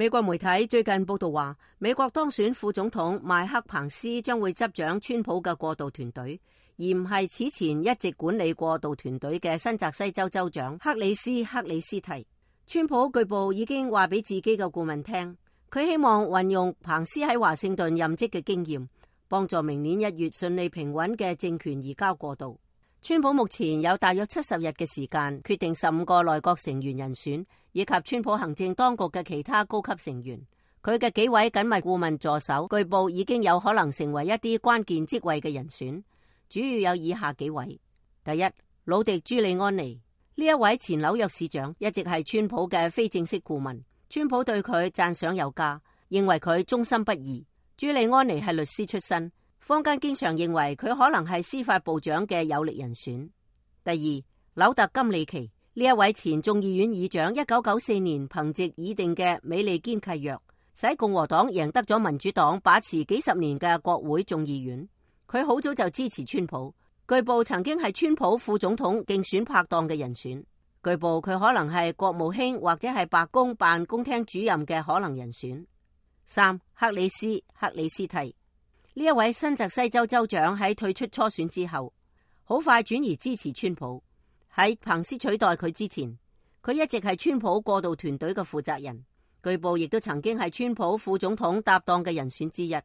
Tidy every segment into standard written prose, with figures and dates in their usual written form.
美國媒體最近報道話，美國當選副總統麥克彭斯將會執掌川普嘅過渡團隊，而唔係此前一直管理過渡團隊嘅新澤西州州長克里斯蒂。川普據報已經話俾自己嘅顧問聽，佢希望運用彭斯喺華盛頓任職嘅經驗，幫助明年1月順利平穩嘅政權移交過渡。川普目前有大約70日嘅時間決定15個內閣成員人選，以及川普行政當局嘅其他高級成員。佢嘅幾位緊密顧問助手據報已經有可能成為一啲關鍵職位嘅人選，主要有以下幾位。第一，魯迪朱利安尼，呢一位前紐約市長一直係川普嘅非正式顧問，川普對佢讚賞有加，認為佢忠心不二。朱利安尼係律師出身，坊間經常認為佢可能係司法部長嘅有力人選。第二，紐特金里奇，呢一位前眾議院議長1994年憑藉擬定嘅美利堅契約，使共和黨贏得咗民主黨把持幾十年嘅國會眾議院。佢好早就支持川普，據報曾經係川普副總統競選拍檔嘅人選。據報佢可能係國務卿或者係白宮辦公廳主任嘅可能人選。三，克里斯蒂，呢一位新澤西州州長喺退出初選之後，好快轉移支持川普。喺彭斯取代佢之前，佢一直係川普過渡團隊嘅負責人，據報亦都曾經係川普副總統搭檔嘅人選之一。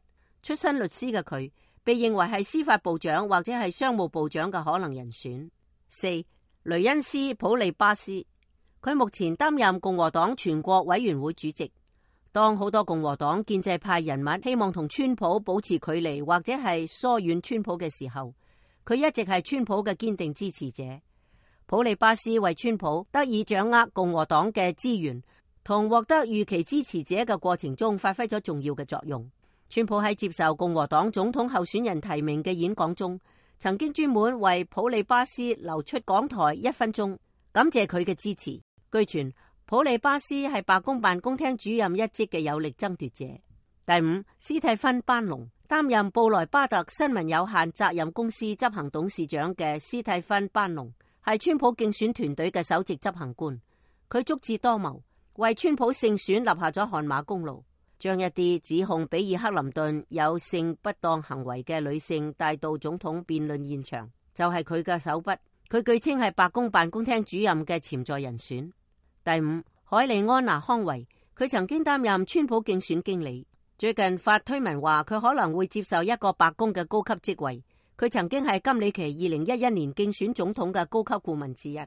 出身律師嘅佢，被認為係司法部長或者係商務部長嘅可能人選。四，雷恩斯普利巴斯，佢目前擔任共和黨全國委員會主席。當好多共和黨建制派人物希望同川普保持距離或者係疏遠川普嘅時候，佢一直係川普嘅堅定支持者。普利巴斯為川普得以掌握共和黨嘅資源同獲得預期支持者嘅過程中發揮咗重要嘅作用。川普喺接受共和黨總統候選人提名嘅演講中，曾經專門為普利巴斯留出講台1分鐘，感謝佢嘅支持。據傳，普利巴斯係白宮辦公廳主任一職嘅有力爭奪者。第五，斯蒂芬班農，擔任布萊巴特新聞有限責任公司執行董事長嘅斯蒂芬班農，係川普競選團隊嘅首席執行官。佢足智多謀，為川普勝選立下咗汗馬功勞，將一啲指控比爾克林頓有性不當行為嘅女性帶到總統辯論現場，就係佢嘅手筆。佢據稱係白宮辦公廳主任嘅潛在人選。第五，海利安娜康維，佢曾經擔任川普競選經理，最近發推文話佢可能會接受一個白宮嘅高級職位。佢曾經係金里奇2011年競選總統嘅高級顧問之一。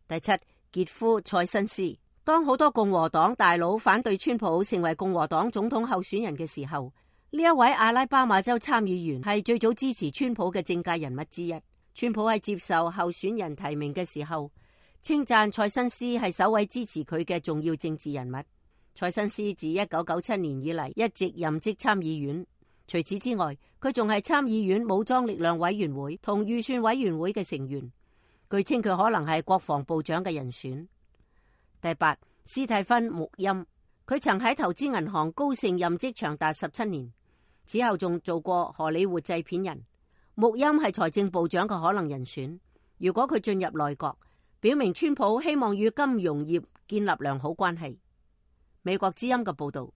第七，傑夫塞申斯，當好多共和黨大佬反對川普成為共和黨總統候選人嘅時候，呢一位阿拉巴馬州參議員係最早支持川普嘅政界人物之一。川普喺接受候選人提名嘅時候，稱讚塞申斯係首位支持佢嘅重要政治人物。塞申斯自1997年以嚟一直任職參議院，除此之外，佢仲係參議院武裝力量委員會同預算委員會嘅成員。據稱佢可能係國防部長嘅人選。第八，斯蒂芬穆欽，佢曾喺投資銀行高盛任職長達17年，此後仲做過荷里活製片人。穆欽係財政部長嘅可能人選。如果佢進入內閣，表明川普希望與金融業建立良好關係。美國之音嘅報道。